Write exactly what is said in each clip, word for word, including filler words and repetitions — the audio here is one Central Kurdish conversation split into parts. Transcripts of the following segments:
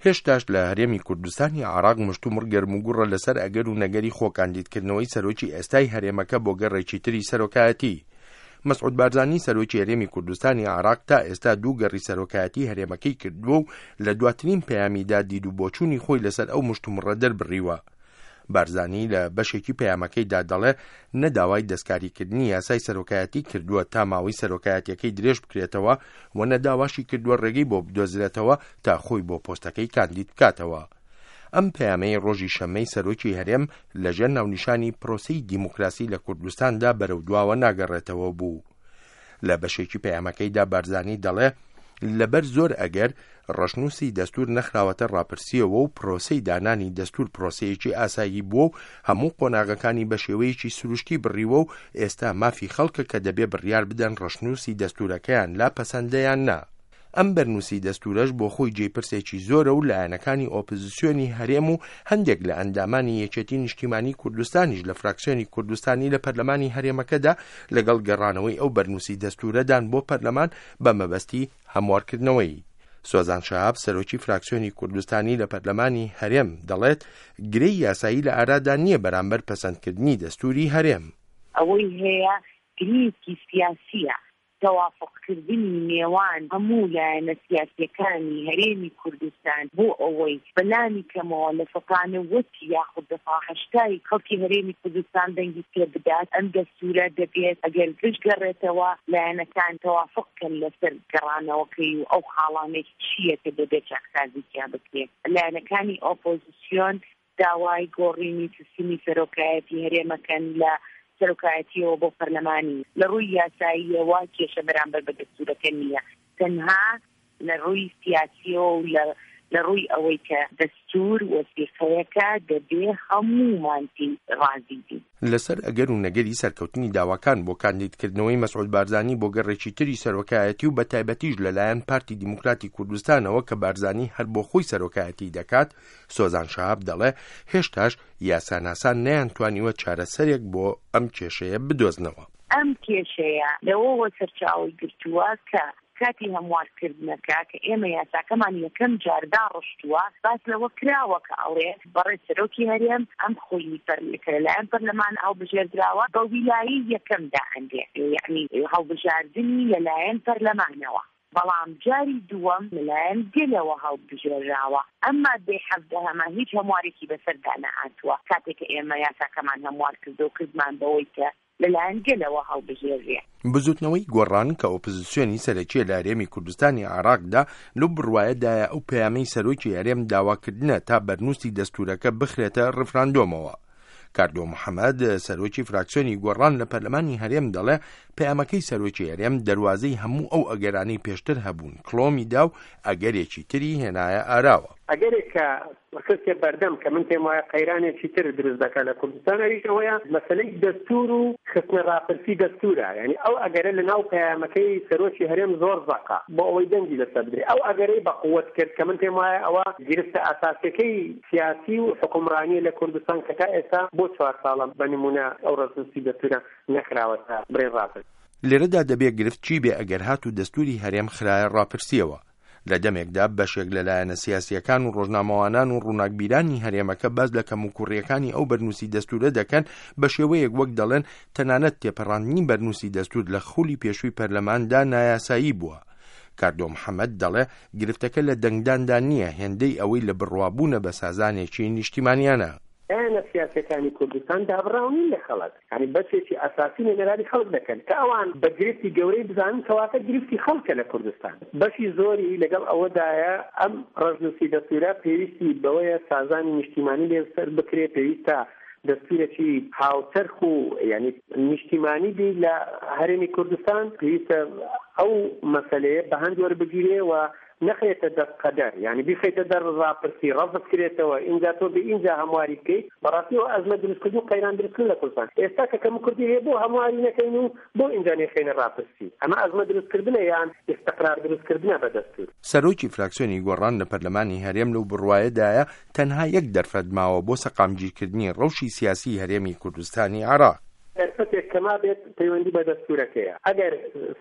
هێشتاش لە هەرێمی کوردستانی عێراق مشتومڕ گەرموگوڕە لەسەر ئەگەر و نەگەری خۆکاندیدکردنەوەی سەرۆکی ئێستای هەرێمەکە بۆ گەڕێکی تری سەرۆکایەتی. مەسعود بارزانی سەرۆکی هەرێمی کوردستانی عێراق تا ئێستا دوو گەڕی سەرۆکایەتی هەرێمەکەی کردووە و لە دواترین پەیامیدا دید و بۆچوونی خۆی لەسەر ئەو مشتومڕە دەربڕیوە. بارزانی لە بەشێکی پەیامەکەیدا دەڵێ نەداوای دەستکاریکردنی یاسای سەرۆکایەتی کردووە تا ماوەی سەرۆکایەتیەکەی درێژ بکرێتەوە و نەداواشی کردووە ڕێگەی بۆ بدۆزرێتەوە تا خۆی بۆ پۆستەکەی کاندید بکاتەوە. ئەم پەیامەی ڕۆژی شەممەی سەرۆکی هەرێم لەژێر ناونیشانی پرۆسەی دیموکراسی لە کوردستاندا بەرەو دواوە ناگەڕێتەوە بوو. لە بەشێکی پەیامەکەیدا بارزانی دەڵێ لەبەر زۆر ئەگەر ڕەشنووسی دەستور نەخراوەتە ڕاپرسیەوە و پرۆسەی دانانی دەستور پرۆسەیەکی ئاسایی بووە و هەموو قۆناغەکانی بە شێوەیەکی سروشتی بڕیوە و ئێستا مافی خەڵکە کە دەبێ بڕیار بدەن ڕەشنووسی دەستورەکەیان لا پەسەندەیان نا. ئەم بەرنووسی دەستورەش بۆ خۆی جێی پرسێکی زۆرە و لایەنەکانی ئۆپۆزیسیۆنی هەرێم و هەندێک لە ئەندامانی یەکێتی نیشتیمانی کوردستانیش لە فراکسیۆنی کوردستانی لە پەرلەمانی هەرێمەکەدا لەگەڵ گەڕانەوەی ئەو بەرنووسی دەستورەدان بۆ پەرلەمان بە مەبەستی هەموارکردنەوەی. سۆزان شەهاب سەرۆکی فراکسیۆنی کوردستانی لە پەرلەمانی هەرێم دەڵێت گرێی یاسایی لە ئارادا نییە بەرامبەر پەسەندکردنی دەستوری هەرێم. ئەوەی هەیە گرێیەکی سیاسیە، تەوافقکردنی نێوان هەموو لایەنە سیاسیەکانی هەرێمی کوردستان بۆ ئەوەی بەلانی کەمەوە لە سەتا نەوەتی یاخود لە سەتا هەشتای خەڵکی هەرێمی کوردستان دەنگی پێ بدات. ئەم دەستورە دەبێت ئەگەر بشگەڕێتەوە لایەنەکان تەوافق کەن لەسەر گەڕانەوەکەی و ئەو خاڵانەی چییە کە دەبێت چاکسازی تیا بکرێت. لایەنەکانی ئۆپۆزیسیۆن داوای گۆڕینی سیستمی سەرۆکایەتی هەرێمەکەن لە سەرۆکایەتیەوە بۆ پەرلەمانی. لە ڕووی یاساییەوە کێشە بەرامبەر بە دەستورەکە نییە، تەنها لە ڕووی سیاسیەوە و لە ڕووی ئەوەی کە دەستور وەسیقەیەکە دەبێ هەموومان پێی ڕازی بین. لەسەر ئەگەر و نەگەری سەرکەوتنی داواکان بۆ کاندیدکردنەوەی مەسعود بارزانی بۆ گەڕێکی تری سەرۆکایەتی و بەتایبەتیش لەلایەن پارتی دیموکراتی کوردستانەوە کە بارزانی هەر بۆ خۆی سەرۆکایەتی دەکات، سۆزان شەهاب دەڵێ هێشتاش یاساناسان نەیانتوانیوە چارەسەرێک بۆ ئەم کێشەیە بدۆزنەوە. ئەم کێشەیە لەوەوە سەرچاوەی گرتووە کە کاتی هەموارکردنەکە کە ئێمە یاساکەمان یەکەم جار داڕشتووە باس لەوە کراوە کە ئەڵێ بەڕێز سەرۆکی هەرێم ئەم خولی کە لەلایەن پەرلەمان هەڵبژێردراوە بە ویلایی یەکەم دائەنرێ، یعنی هەڵبژاردنی لەلایەن پەرلەمانەوە، بەڵام جاری دووەم لەلایەن گەلەوە هەڵبژێراوە. ئەم مادەی حەفدەهەمە هیچ هەموارێکی بەسەردا نەهاتووە کاتێک کە ئێمە یاساکەمان هەموار کردو کردمان بەوەی کە لەلایەن گەلەوە هەڵبژێرێ. بزوتنەوەی گۆڕان کە ئۆپۆزیسیۆنی سەرەکیە لە هەرێمی کوردستانی عێراقدا لەو بڕوایەدایە ئەو پەیامەی سەرۆکی هەرێم داواکردنە تا بەرنووسی دەستورەکە بخرێتە ڕفراندۆمەوە. کاردۆ محەممەد سەرۆکی فراکسیۆنی گۆڕان لە پەرلەمانی هەرێم دەڵێ پەیامەکەی سەرۆکی هەرێم دەروازەی هەموو ئەو ئەگەرانەی پێشتر هەبوون کڵۆمی دا و ئەگەرێکی تری هێنایە ئاراوە. ئەگەرێک کە خستێ بەردەم کە من پێم وایە قەیرانێکی تر دروست دەکات لە کوردستان، ئەویش ئەوەیە مەسەلەی دەستور و خستنە ڕاپرسی دەستورە. یعنی ئەو ئەگەرە لە ناو پەیامەکەی سەرۆکی هەرێم زۆر زەقە بۆ ئەوەی دەنگی لەسەر بدرێ. ئەو ئەگەرەی بە قووەت کرد کە من پێم وایە ئەوە گرفتە ئەساسیەکەی سیاسی و حکومڕانیە لە کوردستان کە تا ئێستا بۆ چوار ساڵە بە نمونە ئەو ڕەشنووسی دەستورە نەخراوەتە بڕێ ڕاپرس. لێرەدا دەبێ گرفت چی بێ ئەگەر هات و دەستوری هەرێم خرایە ڕاپرسیەوە. لە دەمێکدا بەشێک لە لایەنە سیاسیەکان و ڕۆژنامەوانان و ڕووناکبیرانی هەرێمەکە باس لە کەموکوڕیەکانی ئەو بەرنووسی دەستورە دەکەن بە شێوەیەک وەک دەڵێن تەنانەت تێپەڕاندنی بەرنووسی دەستور لە خولی پێشووی پەرلەماندا نایاسایی بووە. کاردۆ محەممەد دەڵێ گرفتەکە لە دەنگداندا نییە، هێندەی ئەوەی لە بڕوابوونە بە سازانێکی نیشتیمانیانە. لایەنە سیاسەکانی کوردستان دابڕاو نین لە خەڵک، یعنی بەشێکی ئەساسی نوێنەرانی خەڵک دەکەن کە ئەوان بە گرفتی گەورەی بزانن کەواتە گرفتی خەڵکە لە کوردستان. بەشی زۆری لەگەڵ ئەوەدایە ئەم ڕەشنووسی دەستورە پێویستی بەوەیە سازانی نیشتیمانی لێسەر بکرێ، پێویستە دەستورێکی هاوچەرخ و یعنی نیشتیمانی بی لە هەرێمی کوردستان، پێویستە ئەو مەسەلەیە بە هەند وەربگیرێ و نەخرێتە دەست قەدەر، یعنی بیخەیتە دەر ڕاپرسی ڕەفز کرێتەوە ئینجا تۆ بێ ئینجا هەمواری بکەیت. بەڕاستیەوە ئەزمە دروستکردن و قەیران دروستکردن لە کوردستان ئێستا کە کەم کوردی هەیە بۆ هەمواری نەکەین و بۆ ئینجا نەخەینە ڕاپرسی، ئەمە ئەزمە دروستکردنە یان ئیستقرار دروستکردنە بە دەستور. سەرۆکی فراکسیۆنی گۆڕان لە پەرلەمانی هەرێم لەو بڕوایەدایە تەنها یەک دەرفەت ماوە بۆ سەقامگیرکردنی ڕەوشی سیاسی هەرێمی کوردستانی عێراق. دەرفەتێک کەما بێت پەیوەندی بە دەستورەکەیە. ئەگەر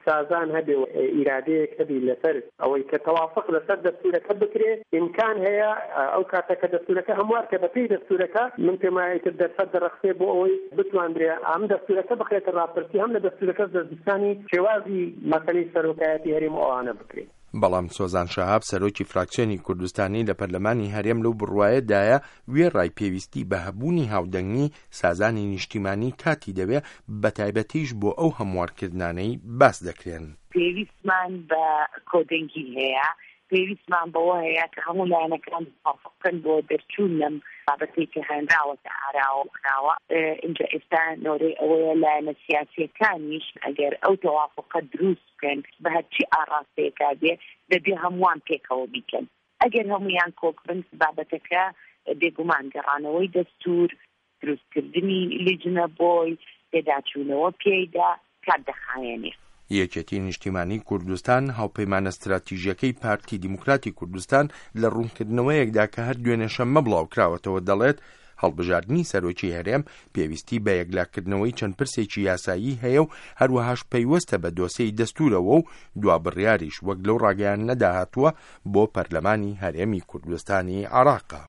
سازان هەبێ و ئیرادەیەک هەبی لەسەر ئەوەی کە تەوافق لەسەر دەستورەکە بکرێ، ئیمکان هەیە ئەو کاتە کە دەستورەکە هەموار کە بەپێی دەستورەکە، من پێم وایە ئیتر دەرفەت دەڕەخسێ بۆ ئەوەی بتواندرێ ئەم دەستورەکە بخرێتە ڕاپرسی، هەم لە دەستورەکەش دەستنیشانی شێوازی مەسەلەی سەرۆکایەتی هەرێم و ئەوانە بکرێ. بەڵام سۆزان شەهاب سەرۆکی فراکسیۆنی کوردستانی لە پەرلەمانی هەرێم لەو بڕوایەدایە وێڕای پێویستی بە هەبوونی هاودەنگی سازانی نیشتیمانی کاتی دەوێ، بە تایبەتیش بۆ ئەو هەموارکردنانەی باس دەکرێن. پێویستمان بە کۆدەنگی هەیە، پێویستمان بەوە هەیە کە هەموو لایەنەکان موافقن بۆ دەرچوون لەم بابەتەی کە هێنراوەتە ئاراوە کراوە. ئینجا ئێستا نۆرەی ئەوەیە لایەنە سیاسیەکانیش ئەگەر ئەو تەوافقە دروست بکەن بە هەرچی ئاراستەیەکا بێ، دەبێ هەمووان پێکەوە بیکەن. ئەگەر هەمویان کۆک بن، بابەتەکە بێگومان گەڕانەوەی دەستور، دروستکردنی لیژنە بۆی پێداچوونەوە پێیدا کات دەخایەنێ. یەکێتی نیشتیمانی کوردستان هاوپەیمانە ستراتیژیەکەی پارتی دیموکراتی کوردستان لە ڕوونکردنەوەیەکدا کە هەر دوێنێ شەممە بڵاوکراوەتەوە دەڵێت هەڵبژاردنی سەرۆکی هەرێم پێویستی بە یەکلاکردنەوەی چەند پرسێکی یاسایی هەیە و هەروەهاش پەیوەستە بە دۆسێی دەستورەوە و دوا بڕیاریش وەک لەو ڕاگەیاندنەدا هاتووە بۆ پەرلەمانی هەرێمی کوردستانی عێراقە.